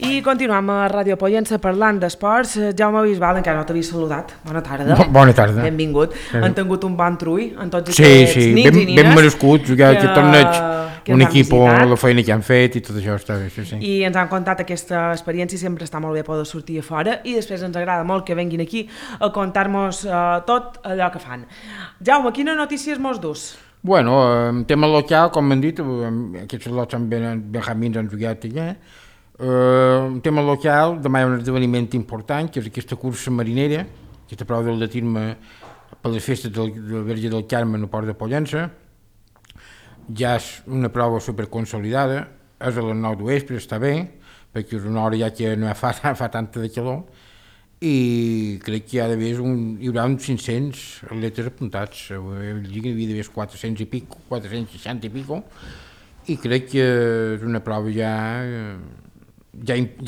I continuem a Ràdio Pollença parlant d'esports. Jaume Bisbal, encara no t'havia saludat. Bona tarda. Bona tarda. Benvingut. Han tingut un bon trull en tots sí, aquests sí, nits i nines. Ben merescut, jugar aquest torneig, un equip, la feina que han fet i tot això està bé. Sí. I ens han contat aquesta experiència, sempre està molt bé poder sortir a fora i després ens agrada molt que venguin aquí a contar-nos tot allò que fan. Jaume, quines notícies mos dus? Bueno, en tema local, com m'han dit, aquests lots amb Benjamins han jugat allà. En tema local, demà hi ha un esdeveniment important, que és aquesta cursa marinera, aquesta prova d'atletisme per les festes del Verge del Carme al Port de Pollença. Ja és una prova superconsolidada, és a les 9 d'Oespre, està bé, perquè és una hora ja que no fa tanta de calor, i crec que hi haurà uns 500 atletes apuntats, hi havia d'haver 400 i pico, 460 i pico, i crec que és una prova ja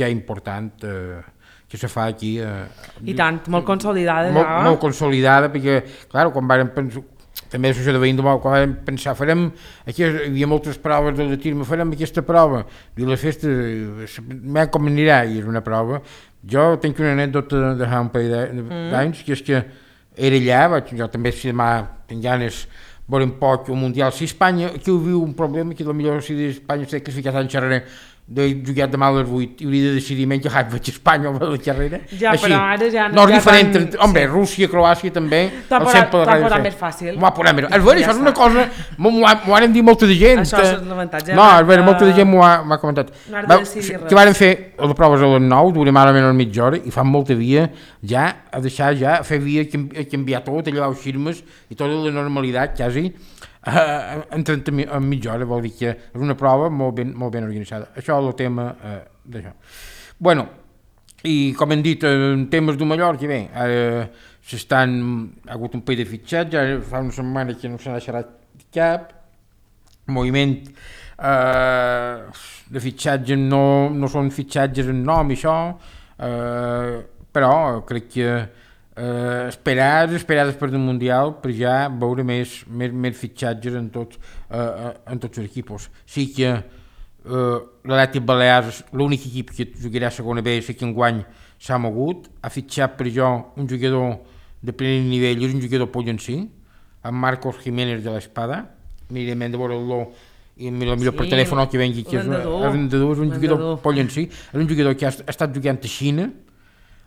important que se fa aquí. I tant, molt consolidada. Molt consolidada, perquè, clar, quan vàrem pensar, també l'associació de veïns, quan vam pensar, aquí hi havia moltes proves d'atletisme, farem aquesta prova, i les festes, com anirà, i és una prova. Jo tinc una anècdota de fa un parell d'anys, que és que era allà, jo també si demà tinc ganes veurem poc un mundial. Si Espanya, aquí ho viu un problema, que potser si Espanya s'ha classificat en xerraré, de jugar demà a les 8 i hauria de decidir menys que vaig a Espanya o a la carrera. Ja, així. Però ara ja no és diferent. Home, Rússia, Croàcia també. T'ha posat més fàcil. M'ho ha posat més fàcil. Això és una cosa, m'ho han dit molta de gent. Això és l'avantatge. No, molta de gent m'ho ha comentat. Que varen fer les proves a les 9, durem ara menys mitja hora, i fan molta via ja, a deixar ja, a fer via, a canviar tot, a llevar els xirmes, i tota la normalitat, quasi, en mitja hora, vol dir que és una prova molt ben organitzada. Això és el tema d'això. Bueno, i com hem dit, en temes de Mallorca, bé, ha hagut un parell de fitxats, ja fa una setmana que no se n'ha xerrat cap, moviment de fitxatges no són fitxatges en nom i això, però crec que esperades per el Mundial per ja veure més fitxatges en tots els equips. Sí que l'Atlètic Balears, l'únic equip que jugarà a segona B, sí que enguany s'ha mogut, ha fitxat per jo un jugador de primer nivell, és un jugador pollencí, amb Marcos Jiménez de l'Espada, mirem de veure-lo i millor per telèfon que vengui, que és un jugador pollencí, és un jugador que ha estat jugant a Xina,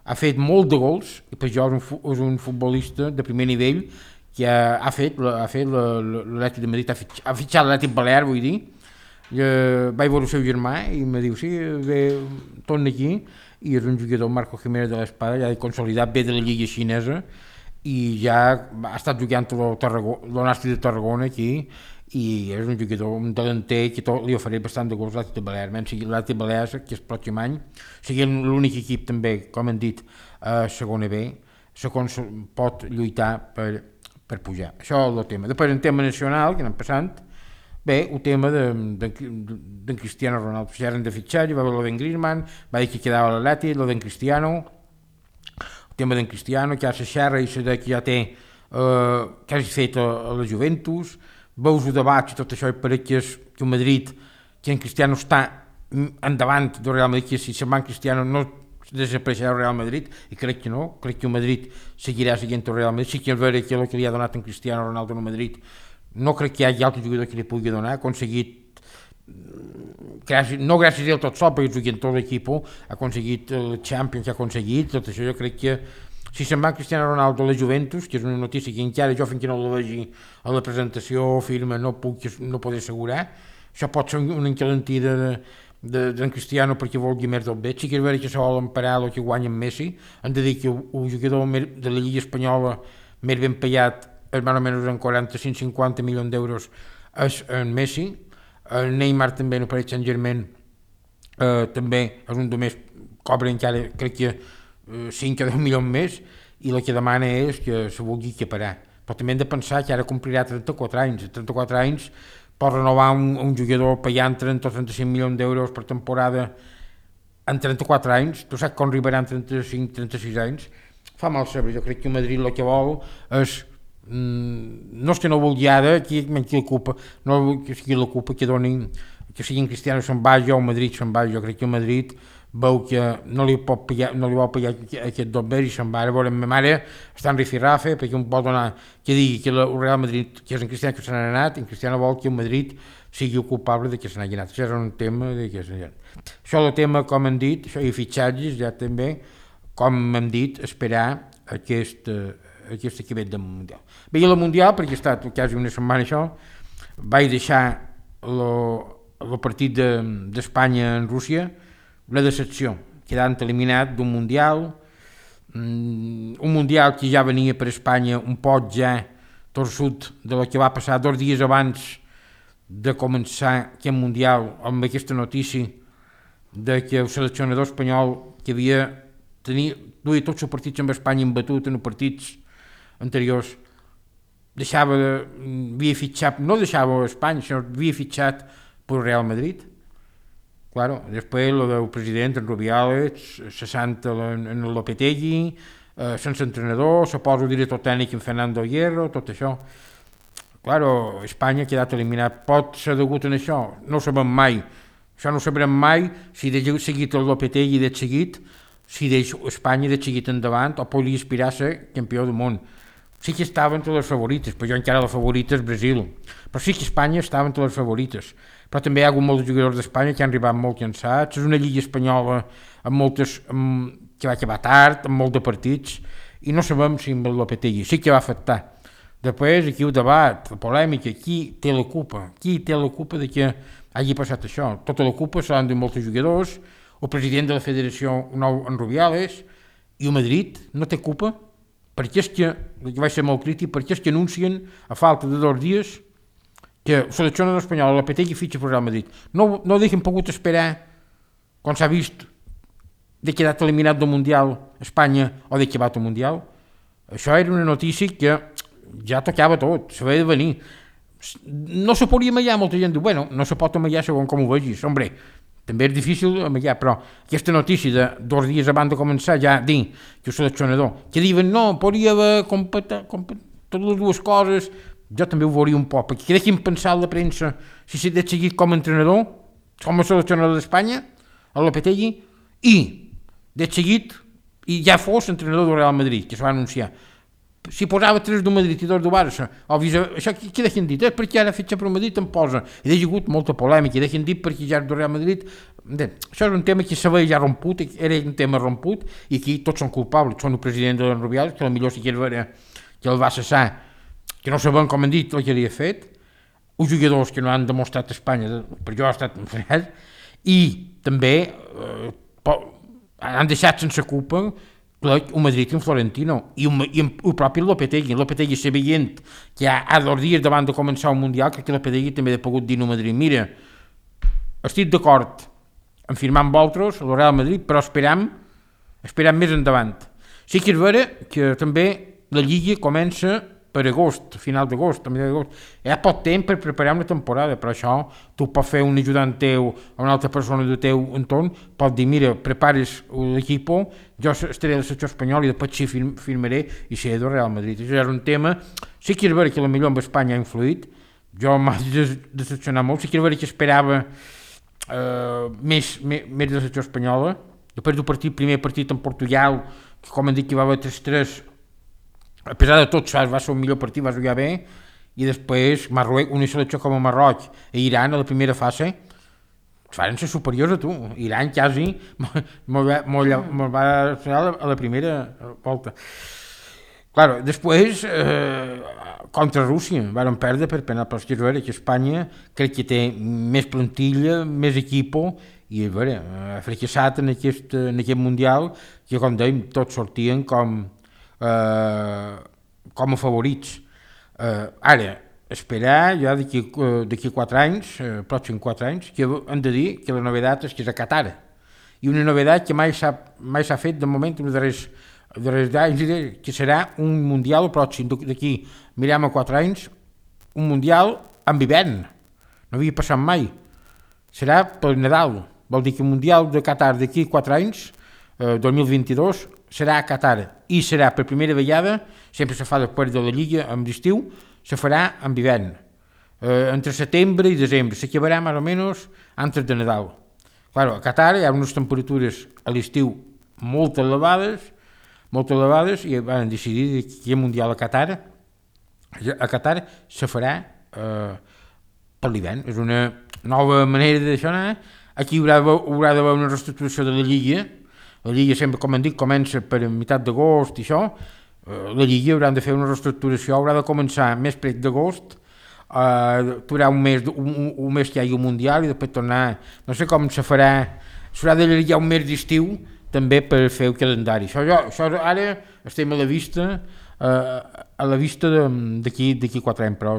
ha fet molt de gols, i per jo és un futbolista de primer nivell que ha fet l'Atlètic de Madrid, ha fitxat l'Atlètic Balear, vull dir. Vaig veure el seu germà i em diu, sí, torna aquí, i és un jugador, Marco Jiménez de l'Espada, ja consolidat, ve de la Lliga xinesa, i ja ha estat jugant el Nàstic de Tarragona aquí, i és un jugador, un delanter que li ofereix bastant de gols l'Atlètic Balears. L'Atlètic Balears, que el pròxim any sigui l'únic equip també, com hem dit, a segona B, pot lluitar per pujar. Això és el tema. Després, en tema nacional, que anem passant, bé, el tema d'en Cristiano Ronaldo. Ja eren de fitxar, hi va haver l'Oden Griezmann, va dir que quedava l'Atlètic, l'Oden Cristiano, el tema d'en Cristiano, que ja se xerra i se que ja té, que hagi fet a la Juventus, veus el debat i tot això, i pareix que el Madrid, que en Cristiano està endavant del Real Madrid, que si se'n va en Cristiano no desapareixerà el Real Madrid, i crec que no, crec que el Madrid seguirà seguint el Real Madrid. Sí que és vera que el que li ha donat en Cristiano Ronaldo al Madrid, no crec que hi hagi altre jugador que li pugui donar, ha aconseguit, no gràcies a ell tot sol, perquè jugui en tot l'equip, ha aconseguit el Champions que ha aconseguit, tot això jo crec que si se'n va Cristiano Ronaldo a la Juventus, que és una notícia que encara jo fins que no la vegi a la presentació o firma no podré assegurar, això pot ser una encalentida d'en Cristiano perquè vulgui més del bé. Sí que és vera que se volen parar el que guanya en Messi, han de dir que el jugador de la Lliga Espanyola més ben pagat és més o menys en 45-50 milions d'euros és en Messi, el Neymar també en el Paris Saint-Germain també és un de més, cobra encara crec que 5 o 10 milions més, i el que demana és que se vulgui equiparar. Però també hem de pensar que ara complirà 34 anys. 34 anys pot renovar un jugador pagant 30 o 35 milions d'euros per temporada en 34 anys. Tu saps com arribarà en 35-36 anys? Fa mal saber. Jo crec que Madrid el que vol és no és que no vulgui ara, qui l'ocupa, no que sigui l'ocupa, que donin, que siguin Cristiano se'n vagi o Madrid se'n vagi. Jo crec que Madrid veu que no li vol pagar aquest dobbers i se'n va a veure ma mare, està en rifirrafe, perquè un pot donar, que digui que el Real Madrid, que és en Cristiano que se n'ha anat, en Cristiano vol que el Madrid sigui el culpable de que se n'hagi anat. Això és un tema de que se n'hagi anat. Això el tema, com hem dit, això i fitxatges, ja també, com hem dit, esperar aquest que ve del Mundial. Veia el Mundial, perquè ha estat quasi una setmana això, vaig deixar el partit d'Espanya en Rússia, la decepció, quedant eliminat d'un Mundial, un Mundial que ja venia per Espanya un poc ja torçut de lo que va passar 2 dies abans de començar aquest Mundial, amb aquesta notícia de que el seleccionador espanyol que duia tots els partits amb Espanya embatut en els partits anteriors, havia fitxat, no deixava Espanya, sinó havia fitxat per Real Madrid. Claro, després lo del president, en Rubiales, cessant en Lopetegui, sense entrenador, se posa el director tècnic en Fernando Hierro, tot això. Claro, Espanya ha quedat eliminat. Pot ser degut a això? No ho sabem mai. Això no ho sabrem mai si de seguit el Lopetegui de seguit, si Espanya de seguit endavant o podria aspirar a ser campió del món. Sí que estava entre les favorites, però jo encara la favorita és Brasil. Però sí que Espanya estava entre les favorites. Però també hi ha hagut molts jugadors d'Espanya que han arribat molt cansats. És una lliga espanyola que va acabar tard, amb molts de partits, i no sabem si amb el Lopetegui sí que va afectar. Després, aquí el debat, la polèmica, qui té la culpa? Qui té la culpa de que hagi passat això? Tota la culpa se l'han de molts jugadors, el president de la federació nou, en Rubiales, i el Madrid no té culpa, perquè és que vaig ser molt crític, perquè és que anuncien a falta de 2 dies que el seleccionador espanyol, el Lopetegui, fitxa per Real Madrid. No hagin pogut esperar, quan s'ha vist, de quedat eliminat del Mundial Espanya o de acabat el Mundial. Això era una notícia que ja tocava tot, s'havia de venir. No se podia amallar, molta gent diu, bueno, no se pot amallar segons com ho vegis, hombre, també és difícil amallar, però aquesta notícia de 2 dies abans de començar ja dir que el seleccionador, que diuen no, podria haver totes les dues coses, jo també ho veuria un poc, perquè que deixin pensar la premsa si s'ha de seguir com a entrenador, com a seleccionador d'Espanya, a Lopetegui, i de seguit, i ja fos entrenador del Real Madrid, que s'ho va anunciar. Si posava 3 del Madrid i 2 del Barça, això què deixen dit? És perquè ara fitxa per el Madrid em posa. I ha hagut molta polèmica, i deixen dit perquè ja és del Real Madrid. Això és un tema que s'havia ja romput, era un tema romput, i aquí tots són culpables, són el president de Rubiales, que potser si quer veure que el va cessar, que no sabem com han dit el que havia fet, els jugadors que no han demostrat a Espanya, per jo ha estat un fracàs, i també han deixat sense culpa el Madrid i el Florentino, i el propi Lopetegui. Lopetegui se veient que a 2 dies davant de començar el Mundial, crec que Lopetegui també ha pogut dir al Madrid, mira, estic d'acord en firmar amb vosaltres, el Real Madrid, però esperam més endavant. Sí que és vera que també la Lliga comença per agost, final d'agost, a mitjà d'agost. Hi ha poc temps per preparar una temporada, però això tu pots fer un ajudant teu o una altra persona del teu entorn, pot dir, mira, prepares l'equip, jo estaré a la secció espanyola i després sí firmaré i seré del Real Madrid. Això és un tema, sí que és vera que potser amb Espanya ha influït, jo m'ha decepcionat molt, sí que és vera que esperava més de la secció espanyola, després del primer partit en Portugal, que com han dit que va haver 3-3, a pesar de tot, va ser un millor partit, va jugar bé, i després una selecció com a Marroc i Iran a la primera fase van ser superiors a tu. Iran quasi me'l va fer a la primera volta. Claro, després contra Rússia van perdre per penal, però és vera que Espanya crec que té més plantilla, més equip, i és vera, ha fracassat en aquest Mundial que, com dèiem, tots sortien com a favorits. Ara, esperar ja d'aquí 4 anys, pròxims 4 anys, que hem de dir que la novedat és que és a Qatar. I una novedat que mai s'ha fet de moment en els darrers anys, que serà un Mundial pròxim, d'aquí, mirem a 4 anys, un Mundial amb hivern. No havia passat mai. Serà per Nadal. Vol dir que el Mundial de Qatar d'aquí 4 anys, 2022, serà a Qatar, i serà per primera vegada, sempre se fa després de la Lliga amb l'estiu, se farà amb hivern, entre setembre i desembre, s'acabarà més o menys antes de Nadal. Claro, a Qatar hi ha unes temperatures a l'estiu molt elevades, i van decidir que el Mundial a Qatar se farà per l'hivern. És una nova manera d'això anar. Aquí haurà d'haver una reestructuració de la Lliga. La Lliga sempre, com hem dit, comença per meitat d'agost i això. La Lliga haurà de fer una reestructuració, haurà de començar més prop d'agost. Tu haurà un mes que hi hagi un Mundial i després tornar, no sé com se farà, s'haurà d'allargar un mes d'estiu també per fer el calendari. Això ara estem a la vista d'aquí 4 anys, però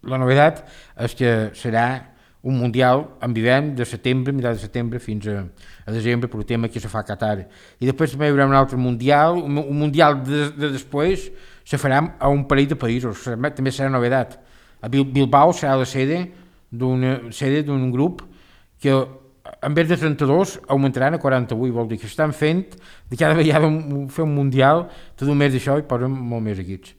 la novetat és que serà un Mundial en hivern de setembre, meitat de setembre fins a desembre, per el tema que se fa a Qatar. I després també hi haurà un altre Mundial, un Mundial de després se farà a un parell de països, també serà novetat. A Bilbao serà la sede d'un grup que en vez de 32 augmentaran a 48, vol dir que estan fent de cada vegada fer un mundial, tot un mes d'això i posen molt més equips.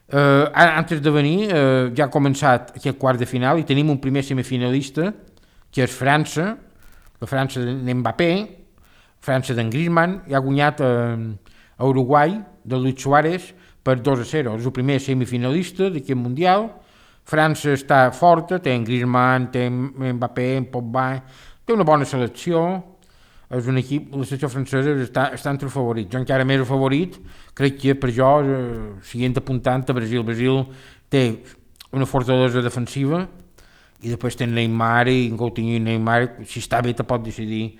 Antes de venir ja ha començat aquest quart de final i tenim un primer semifinalista que és França, la França d'Mbappé, França d'en Griezmann, i ha guanyat a Uruguai de Luis Suárez per 2-0, és el primer semifinalista d'aquest mundial. França està forta, té en Griezmann, té en Mbappé, en Pogba, té una bona selecció, és un equip, la selecció francesa està entre els favorits. Jo encara més el favorit, crec que per jo, seguint apuntant a Brasil. Brasil té una fortalesa defensiva i després té Neymar i Coutinho i Neymar, si està bé te pot decidir.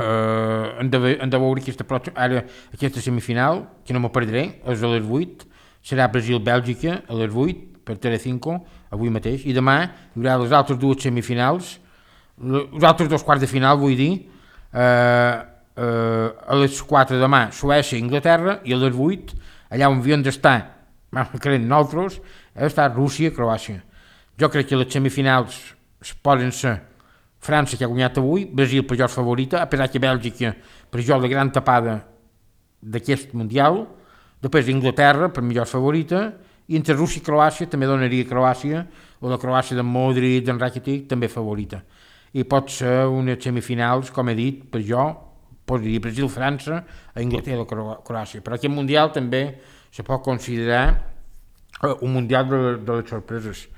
Hem de veure aquesta semifinal, que no me perdré, és a les 8, serà Brasil-Bèlgica a les 8 per Telecinco, avui mateix, i demà hi haurà les altres dues semifinals, els altres dos quarts de final, vull dir, a les 4 demà Suècia i Inglaterra, i a les 8, allà on havien d'estar, creen nosaltres, està Rússia i Croàcia. Jo crec que les semifinals poden ser França, que ha guanyat avui, Brasil per jo és favorita, a pesar que Bèlgica per jo la gran tapada d'aquest Mundial, després Inglaterra per millor favorita, i entre Rússia i Croàcia també donaria Croàcia, o la Croàcia de Modric, d'en Rakitic, també favorita. I pot ser unes semifinals, com he dit, per jo, posaria Brasil-França, a Inglaterra-Croàcia. Però aquest Mundial també se pot considerar un Mundial de les sorpreses.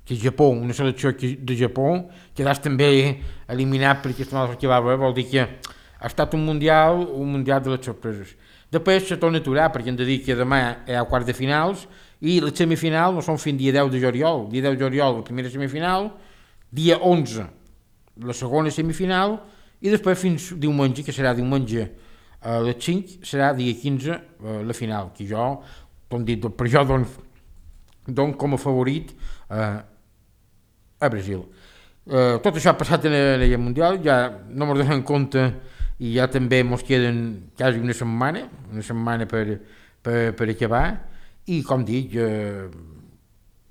Que Japó, una selecció de Japó, quedàs també eliminat per aquesta mala que va haver, vol dir que ha estat un Mundial de les sorpreses. Després se torna a aturar, perquè hem de dir que demà hi ha quarts de finals, i la semifinal no són fins dia 10 de juliol. Dia 10 de juliol la primera semifinal, dia 11 la segona semifinal, i després fins diumenge, que serà diumenge a les 5, serà dia 15 la final, que jo, com dit, per jo dono com a favorit a Brasil. Tot això ha passat en el Mundial, ja no m'ho donen compte, i ja també ens queden quasi una setmana per acabar, i com dic,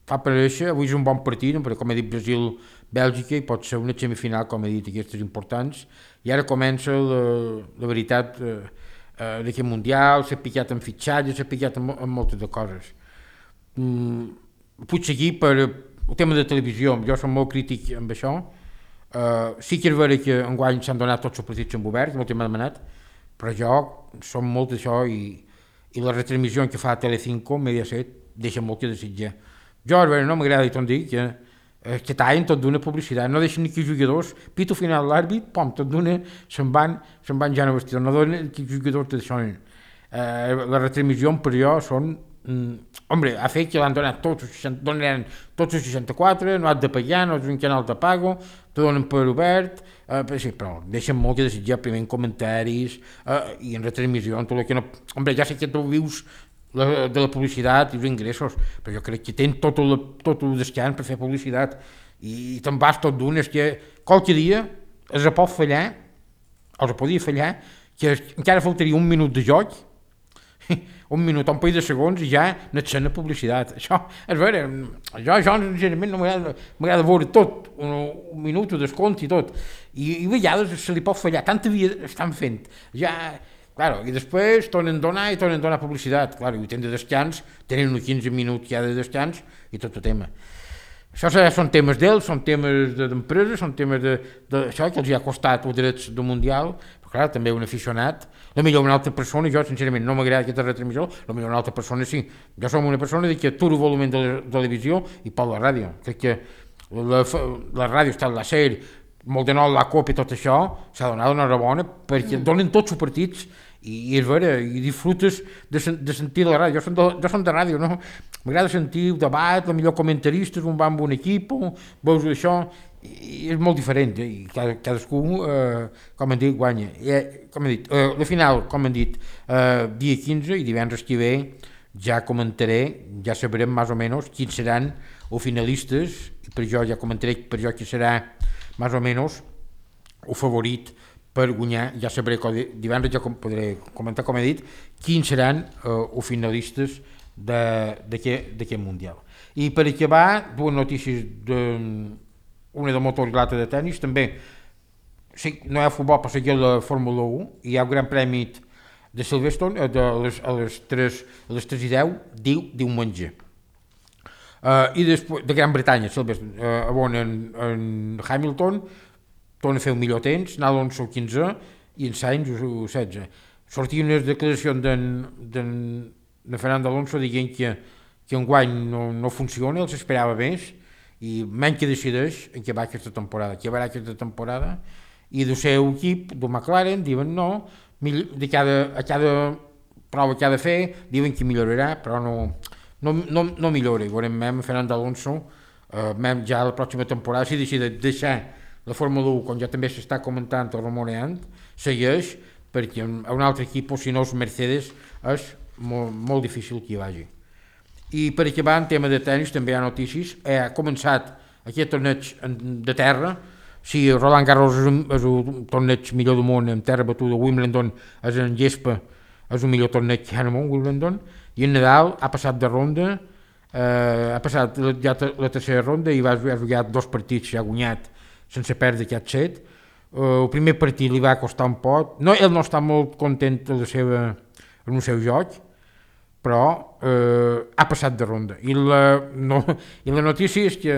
fa parèixer, avui és un bon partit, però com he dit, Brasil-Bèlgica, i pot ser una semifinal, com he dit, aquestes importants, i ara comença la veritat d'aquest Mundial, s'ha picat en fitxatges, s'ha picat en moltes de coses. Puig seguir per el tema de televisió, jo soc molt crític amb això. Sí que és vera que enguany s'han donat tots els partits en obert, molt m'ha demanat, però jo som molt d'això i la retransmissió que fa Telecinco, Mediaset, deixa molt que desitjar. Jo, no m'agrada i tot dir que tallen tot d'una publicitat, no deixen ni que jugadors, pito final l'àrbit, pom, tot d'una se'n van ja no vestidor, no donen que jugadors d'això. La retransmissió per jo són ha fet que l'han donat tots els 64, no has de pagar, no és un canal de pago, te donen per obert, sí, però deixen molt que desitjar primer en comentaris i en retransmissió, tot el que no... Ja sé que tu vius de la publicitat i els ingressos, però jo crec que tenen tot el descans per fer publicitat i te'n vas tot d'un, és que qualque dia es pot fallar, els podia fallar, que encara faltaria un minut de joc, un minut, un parell de segons i ja n'etcen la publicitat. Això és vera, jo sincerament no m'agrada veure tot, un minut de descompte i tot, i a vegades se li pot fallar, tanta vida estan fent, ja, claro, i després tornen a donar publicitat, claro, i tenen de descans, tenen uns 15 minuts ja de descans i tot el tema. Això són temes d'ells, són temes d'empreses, són temes d'això que els ha costat els drets del Mundial, però clar, també un aficionat, potser una altra persona, jo sincerament no m'agrada aquesta retransmissió, potser una altra persona sí. Jo som una persona que aturo el volum de la televisió i pot la ràdio. Crec que la ràdio està a la SER, molt de nou la COP i tot això, s'ha donat una enhorabona perquè donen tots els partits i és vera, i disfrutes de sentir la ràdio. Jo som de ràdio, no? M'agrada sentir el debat, el millor comentaristes, un va amb un equip, veus això, i és molt diferent, i cadascú, com hem dit, guanya. Com he dit, la final, com hem dit, dia 15 i divendres que ve ja comentaré, ja sabrem més o menys quins seran els finalistes, i per jo ja comentaré per jo qui serà més o menys el favorit per guanyar. Ja sabré divendres ja podré comentar, com he dit, quins seran els finalistes d'aquest Mundial. I per acabar, dues notícies, una de motor i l'altra de tennis. També sí, no hi ha futbol per seguir la Fórmula 1, hi ha el Gran Premi de Silverstone a les 3:10 diumenge. I després de Gran Bretanya, on en Hamilton torna a fer un millor temps, Alonso el 15 i en Sainz el 16. Sortien unes declaracions de Fernando Alonso dient que enguany no funciona, els esperava més i menys que decideix en què va aquesta temporada, i del seu equip, del McLaren, diuen no, a cada prova que ha de fer, diuen que millorarà, però no millora. I veurem Fernando Alonso ja la pròxima temporada, si decideix deixar la Fórmula 1, com ja també s'està comentant o rumoreant, segueix, perquè a un altre equip, o si no els Mercedes, és molt difícil que hi vagi. I per acabar, en tema de tenis, també hi ha notícies. Ha començat aquest torneig de terra. Si Roland Garros és el torneig millor del món en terra batuda, Wimbledon és en gespa, és el millor torneig que hi ha al món, Wimbledon, i en Nadal ha passat de ronda, ha passat ja la tercera ronda i ha jugat 2 partits, ha guanyat sense perdre aquest set. El primer partit li va costar un poc, ell no està molt content en el seu joc, però ha passat de ronda. I la notícia és que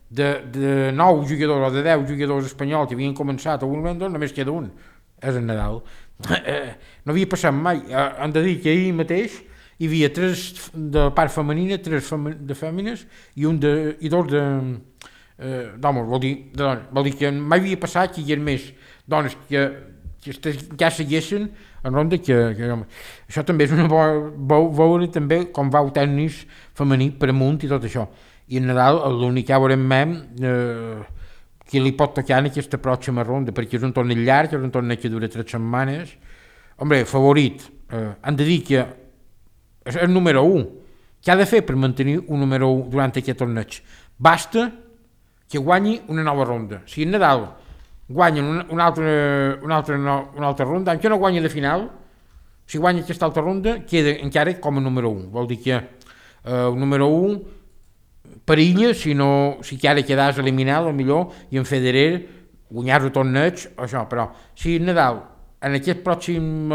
de 9 jugadors o de 10 jugadors espanyols que havien començat a Wimbledon, només queda un, és en Nadal. No havia passat mai. Hem de dir que ahir mateix hi havia 3 de part femenina, 3 de fèmines i 2 d'homes. Vol dir que mai havia passat que hi havia més dones que ja segueixen en ronda que això també és una veure també com va el tennis femení per amunt i tot això. I en Nadal l'únic que veurem que li pot tocar en aquesta pròxima ronda, perquè és un torneig llarg, és un torneig que dura 3 setmanes. Hombre, favorit, han de dir que és el número 1. Què ha de fer per mantenir un número 1 durant aquest torneig? Basta que guanyi una nova ronda. Si en Nadal guanyen una altra ronda, encara no guanya de final, si guanya aquesta altra ronda, queda encara com a número 1. Vol dir que el número 1 perilla si encara quedas eliminat, millor, i en Federer guanyar el torneig, això, però si Nadal en aquest pròxim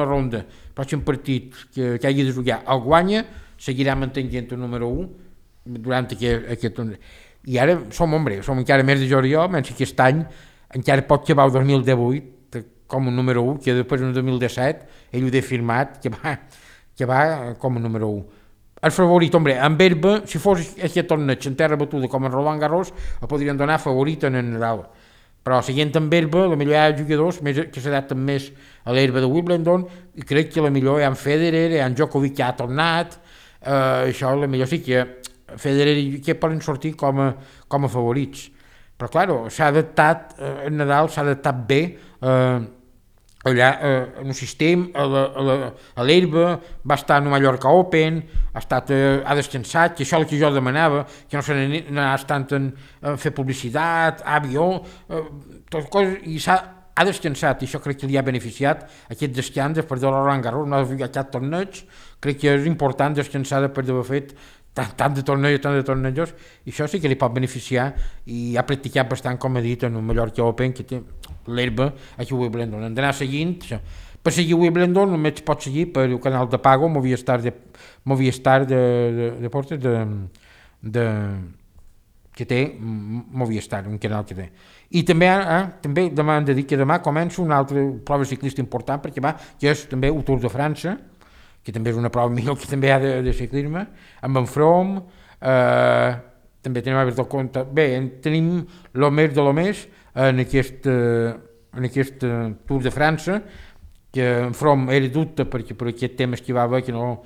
partit que hagi de jugar el guanya, seguirà mantenint el número 1 durant aquest torneig. I ara som encara més de juliol, menys que aquest any encara pot acabar el 2018 com un número 1, que després en el 2017 ell ho ha firmat, que va com a número 1. El favorit, en herba, si fos aquest torneig en terra batuda com en Roland Garros, el podrien donar favorit en Nadal. Però seguint amb herba, la millor hi ha jugadors que s'adapten més a l'herba de Wimbledon, i crec que la millor hi ha en Federer, hi ha en Djokovic que ha tornat, això la millor sí que Federer i que poden sortir com a favorits. Però clar, s'ha adaptat, en Nadal s'ha adaptat bé allà en el sistema, a l'herba, va estar en el Mallorca Open, ha descansat, que això és el que jo demanava, que no se n'anés tant en fer publicitat, avió, tot coses, i ha descansat, i això crec que li ha beneficiat, aquest descans després de Roland Garros, no ha de fer aquest torneig, crec que és important descansar després d'haver fet tant de tornejos, i això sí que li pot beneficiar, i ha practicat bastant, com he dit, en el Mallorca Open, que té l'herba aquí a Wimbledon. Hem d'anar seguint, això. Per seguir Wimbledon només pot seguir per el canal de Pago, Movistar de Deportes, que té Movistar, un canal que té. I també, també demà hem de dir que demà comença una altra prova ciclista important perquè va, que és també el Tour de França, que també és una prova millor que també hi ha de ciclisme, amb en From, també tenim a veure del compte. Bé, tenim el més de lo més en aquest Tour de França, que en From era dubte perquè per aquest tema que va haver, que no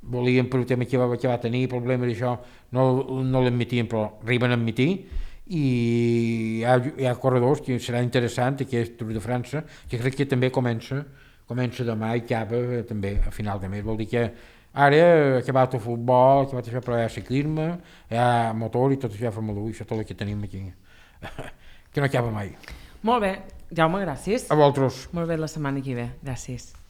volien per el tema que va tenir, problemes d'això, no l'admitien, però arriben a admitir, i hi ha corredors que serà interessant aquest Tour de França, que crec que també comença demà i acaba també a final de mes. Vol dir que ara ha acabat el futbol, ha acabat això, però hi ha ciclisme, hi ha motor i tot això, Fórmula 1, això tot el que tenim aquí, que no acaba mai. Molt bé, Jaume, gràcies. A vosaltres. Molt bé, la setmana que ve. Gràcies.